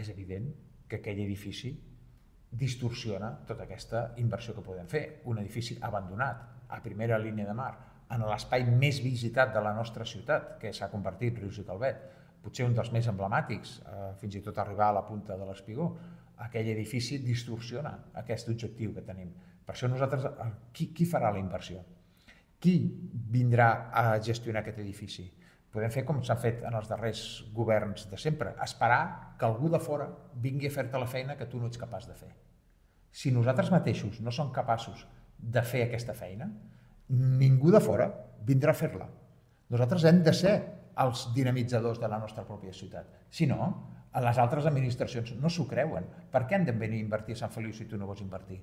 és evident que aquell edifici distorsiona tota aquesta inversió que podem fer. Un edifici abandonat, a primera línia de mar, en l'espai més visitat de la nostra ciutat, que s'ha convertit Rius i Calvet, potser un dels més emblemàtics, fins i tot arribar a la punta de l'Espigó, aquell edifici distorsiona aquest objectiu que tenim. Per això nosaltres, qui farà la inversió? Qui vindrà a gestionar aquest edifici? Podem fer com s'ha fet en els darrers governs de sempre, esperar que algú de fora vingui a fer-te la feina que tu no ets capaç de fer. Si nosaltres mateixos no som capaços de fer aquesta feina, ningú de fora vindrà a fer-la. Nosaltres hem de ser els dinamitzadors de la nostra pròpia ciutat. Si no, les altres administracions no s'ho creuen. Per què han de venir a invertir a Sant Feliu si tu no vols invertir?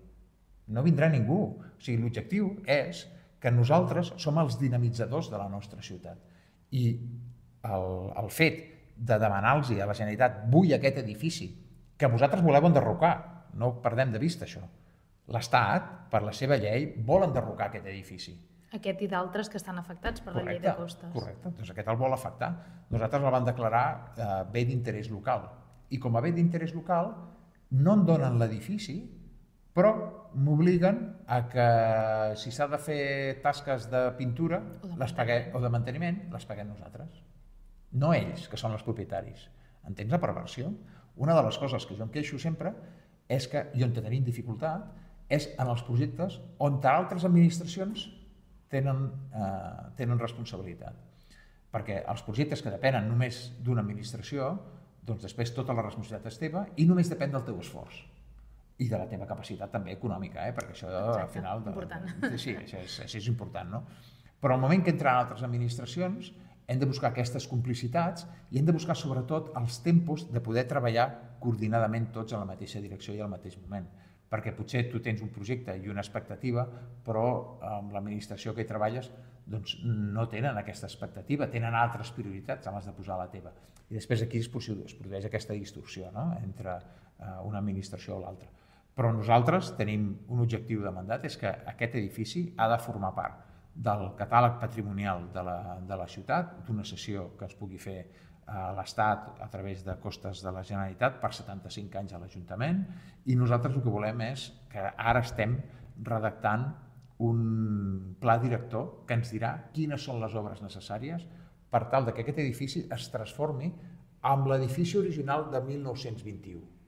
No vindrà ningú. O sigui, l'objectiu és que nosaltres som els dinamitzadors de la nostra ciutat. I el fet de demanar-los a la Generalitat vull aquest edifici que vosaltres voleu enderrocar, no ho perdem de vista això. L'Estat, per la seva llei, vol enderrocar aquest edifici. Aquest i d'altres que estan afectats per la llei de costes. Correcte, doncs aquest el vol afectar. Nosaltres el vam declarar bé d'interès local. I com a bé d'interès local no em donen l'edifici, però m'obliguen a que si s'ha de fer tasques de pintura o de manteniment, les paguem nosaltres. No ells, que són els propietaris. Entens la perversió? Una de les coses que jo em queixo sempre és que, i on tenim dificultat, és en els projectes on altres administracions tenen responsabilitat. Perquè els projectes que depenen només d'una administració, doncs després tota la responsabilitat és teva i només depèn del teu esforç. I de la teva capacitat també econòmica, perquè això al final... Sí, això és important, no? Però al moment que entren altres administracions hem de buscar aquestes complicitats i hem de buscar sobretot els tempos de poder treballar coordinadament tots en la mateixa direcció i al mateix moment. Perquè potser tu tens un projecte i una expectativa, però amb l'administració que hi treballes no tenen aquesta expectativa, tenen altres prioritats en les de posar la teva. I després aquí es produeix aquesta distorsió entre una administració o l'altra. Però nosaltres tenim un objectiu de mandat, és que aquest edifici ha de formar part del catàleg patrimonial de la ciutat, d'una cessió que es pugui fer a l'Estat a través de costes de la Generalitat per 75 anys a l'Ajuntament, i nosaltres el que volem és que ara estem redactant un pla director que ens dirà quines són les obres necessàries per tal que aquest edifici es transformi en l'edifici original de 1921.